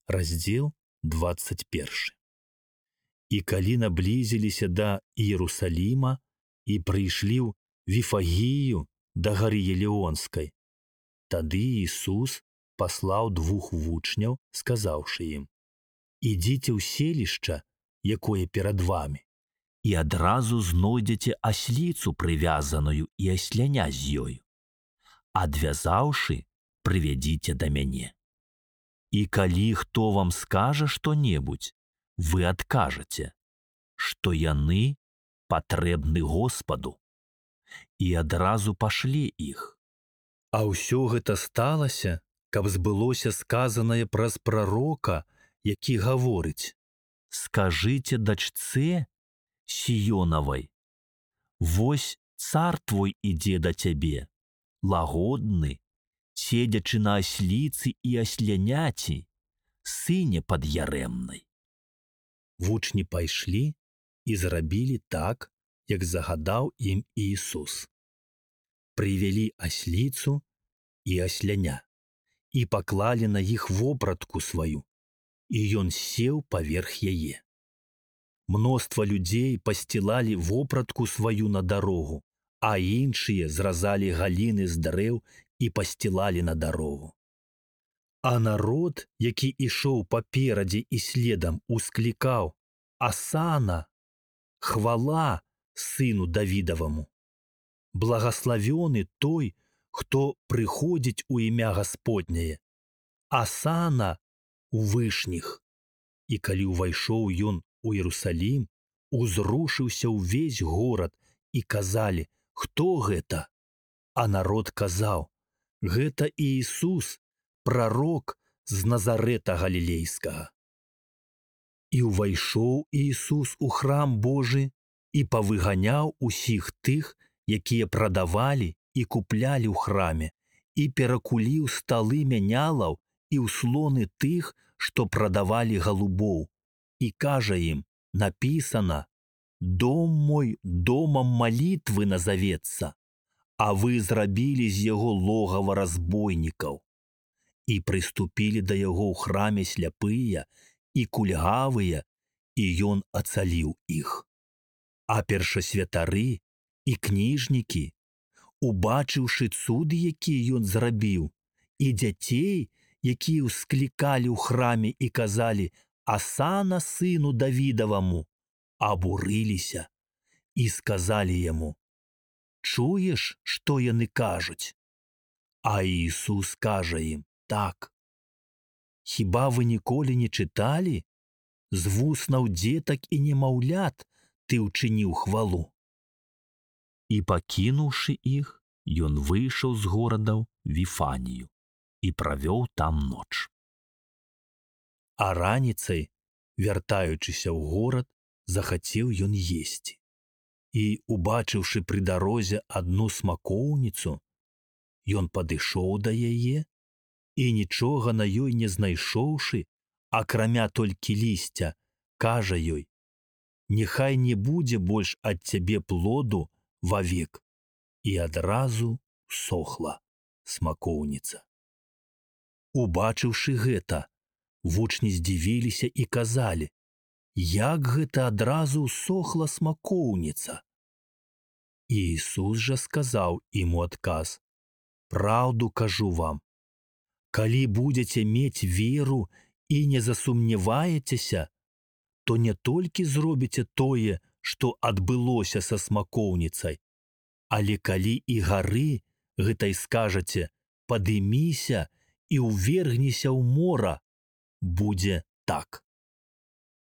Раздзел 21. І калі наблізіліся да Іерусаліма і прыйшлі ў Віфагію да гары Елеонскай, тады Ісус паслаў 2 вучняў, сказаўшы ім: «Ідзіце ў селішча, якое перад вамі, і адразу знойдзеце асліцу прывязаную і асляня з ёю. Адвязаўшы, прывядзіце да мяне. І калі хто вам скажа што-небудзь, вы адкажаце, што яны патрэбны Господу, і адразу пашле іх». А ўсё гэта сталася, каб збылося сказанае праз прарока, які гаворыць: «Скажыце дачцэ Сіёнавай: вось цар твой ідзе да цябе, лагодны, седзячы на асліцы і асляняці, сыне пад'ярэмнай». Вучні пайшлі і зрабілі так, як загадаў ім Ісус. Прывялі асліцу і асляня і паклалі на іх вопратку сваю, і ён сеў паверх яе. Мноства людзей пасцілалі вопратку сваю на дарогу, а іншыя зразалі галіны з дрэў і пасцілалі на дарогу. А народ, які ішоў паперадзе і следам, усклікаў: «Асана! Хвала сыну Давідаваму! Благаславёны той, хто прыходзіць у імя Гасподняе! Асана у вышніх!» І калі ўвайшоў ён у Іерусалім, узрушыўся ўвесь горад, і казалі: «Хто гэта?» А народ казаў: «Гэта Іісус, прарок з Назарэта Галілейскага». І ўвайшоў Іісус у храм Божы і павыганяў усіх тых, якія прадавалі і куплялі ў храме, і перакуліў сталы мянялаў і ўслоны тых, што прадавалі галубоў, і кажа ім: «Напісана: дом мой домам малітвы назавецца, а вы зрабілі з яго логава разбойнікаў». І прыступілі да яго ў храме сляпыя і кульгавыя, і ён ацаліў іх. А першасвятары і кніжнікі, убачыўшы цуды, якія ён зрабіў, і дзяцей, якія ўсклікалі ў храме і казалі: «Асана сыну Давідаваму», абурыліся і сказалі яму: «Чуеш, што яны кажуць?» А Іісус кажа ім так: «Хіба вы ніколі не чыталі? З вуснаў дзетак і немаўлят ты ўчыніў хвалу». І пакінуўшы іх, ён выйшаў з горада ў Віфанію і правёў там ноч. А раніцай, вяртаючыся ў горад, захацеў ён есці. І, убачыўшы пры дарозе адну смакоўніцу, ён падышоў да яе і, нічога на ёй не знайшоўшы, акрамя толькі лісця, кажа ёй: «Няхай не будзе больш ад цябе плоду вавек». І адразу сохла смакоўніца. Убачыўшы гэта, вучні здзівіліся і казалі: «Як гэта адразу сохла смакоўніца?» І Ісус жа сказаў ім у адказ: «Праўду кажу вам, калі будзеце мець веру і не засумняваецеся, то не толькі зробіце тое, што адбылося са смакоўніцай, але калі і гары гэтай скажаце: «Падыміся і ўвергнися ў мора», будзе так.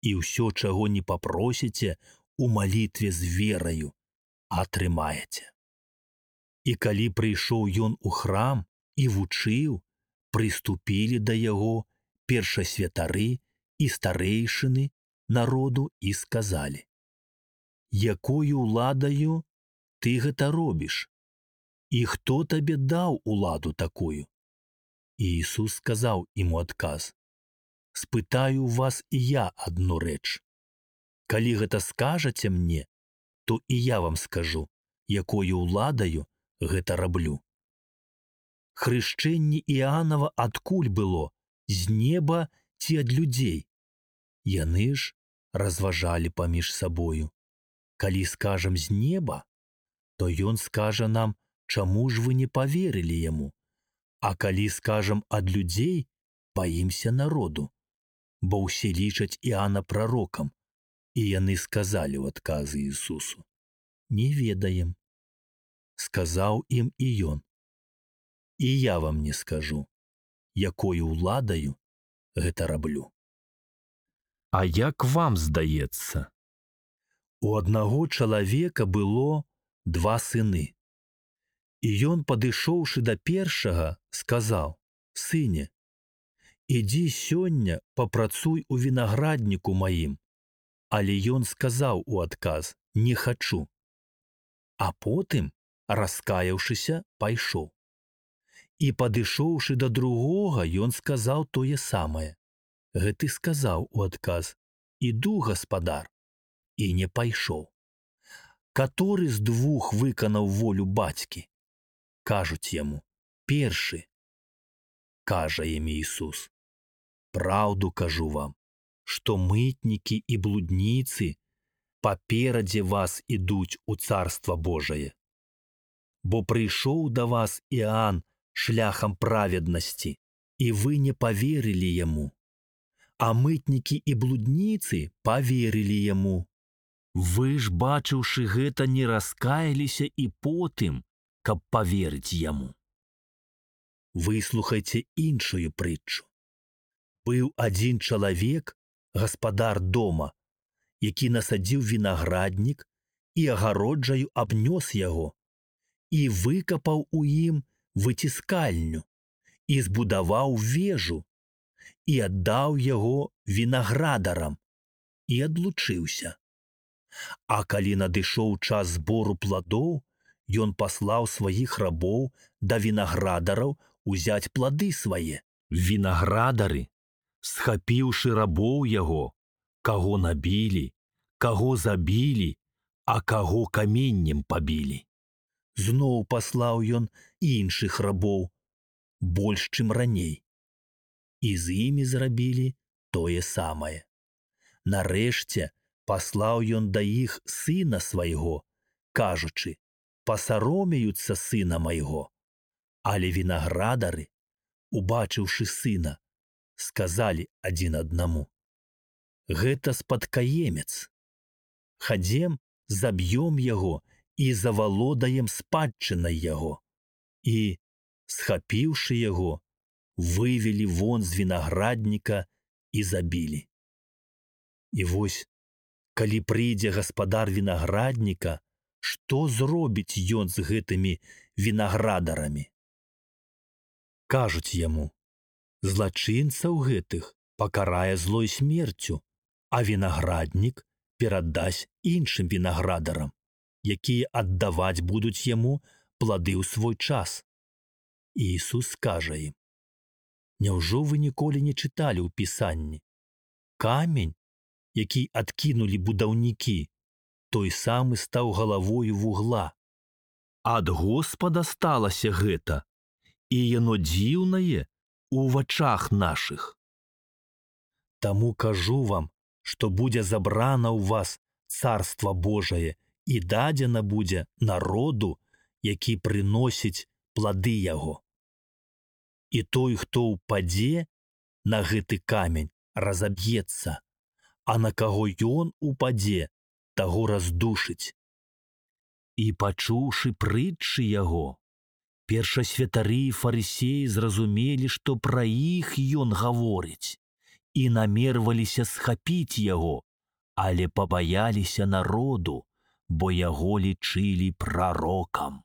І ўсё, чаго не папросіце у малітве з вераю, атрымаеце». І калі прыйшоў ён у храм і вучыў, прыступілі да яго першасвятары і старэйшыны народу і сказалі: «Якою ўладаю ты гэта робіш? І хто табе даў уладу такую?» І Ісус сказаў ім у адказ: «Спытаю вас і я адну рэч. Калі гэта скажаце мне, то і я вам скажу, якою ўладаю гэта раблю. Хрышчэнне Іанава адкуль было? З неба ці ад людзей? Яны ж разважалі паміж сабою. Калі скажам з неба, то ён скажа нам, чаму ж вы не паверылі яму? А калі скажам ад людзей, баімся народу, бо ўсе лічаць Іоанна прарокам. І яны сказалі ў адказы Ісусу: не ведаем. Сказаў ім і ён: і я вам не скажу, якою ўладаю гэта раблю. А як вам здаецца? У аднаго чалавека было 2 сыны. І ён, падышоўшы да першага, сказаў: сыне, ідзі сёння папрацуй у вінаградніку маім. Але ён сказаў у адказ: не хачу. А потым, раскаяўшыся, пайшоў. І падышоўшы да другога, ён сказаў тое самае. Гэты сказаў у адказ: іду, гаспадар, і не пайшоў. Каторы з 2 выканаў волю бацькі? Кажуць яму: першы. Кажа ім Ісус: праўду кажу вам, што мытнікі і блудніцы паперадзе вас ідуць у Царства Божае. Бо прыйшоў да вас Іоанн шляхам праведнасці, і вы не паверылі яму. А мытнікі і блудніцы паверылі яму. Вы ж, бачыўшы гэта, не раскаяліся і потым, каб паверыць яму. Выслухайце іншую прытчу. Быў адзін чалавек, гаспадар дома, які насадзіў вінаграднік і агароджаю абнёс яго, і выкапаў у ім выціскальню, і збудаваў вежу, і аддаў яго вінаградарам, і адлучыўся. А калі надышоў час збору пладоў, ён паслаў сваіх рабоў да вінаградараў узяць плады свае. Вінаградары, схапіўшы рабоў яго, каго набілі, каго забілі, а каго каменнем пабілі. Зноў паслаў ён іншых рабоў, больш, чым раней. І з імі зрабілі тое самае. Нарэшце паслаў ён да іх сына свайго, кажучы: пасаромеюцца сына майго. Але вінаградары, убачыўшы сына, сказалі адзін аднаму: гэта спадкаемец. Хадзем, заб'ём яго і завалодаем спадчынай яго. І, схапіўшы яго, вывелі вон з вінаградніка і забілі. І вось, калі прыйдзе гаспадар вінаградніка, што зробіць ён з гэтымі вінаградарамі? Кажуць яму: злачынцаў гэтых пакарае злой смерцю, а вінаграднік перадасць іншым вінаградарам, якія аддаваць будуць яму плады ў свой час. І Ісус скажа ім: няўжо вы ніколі не чыталі ў Пісанні? Камень, які адкінулі будаўнікі, той самы стаў галавою вугла. Ад Господа сталася гэта, і яно дзіўнае у вачах нашых. Таму кажу вам, што будзе забрана ў вас Царства Божае і дадзена будзе народу, які прыносіць плады яго. І той, хто ўпадзе на гэты камень, разаб'ецца, а на каго ён упадзе, таго раздушыць. І пачуўшы прытчы яго, першасвятары і фарысеі зразумелі, што пра іх ён гаворыць, і намерваліся схапіць яго, але пабаяліся народу, бо яго лічылі прарокам.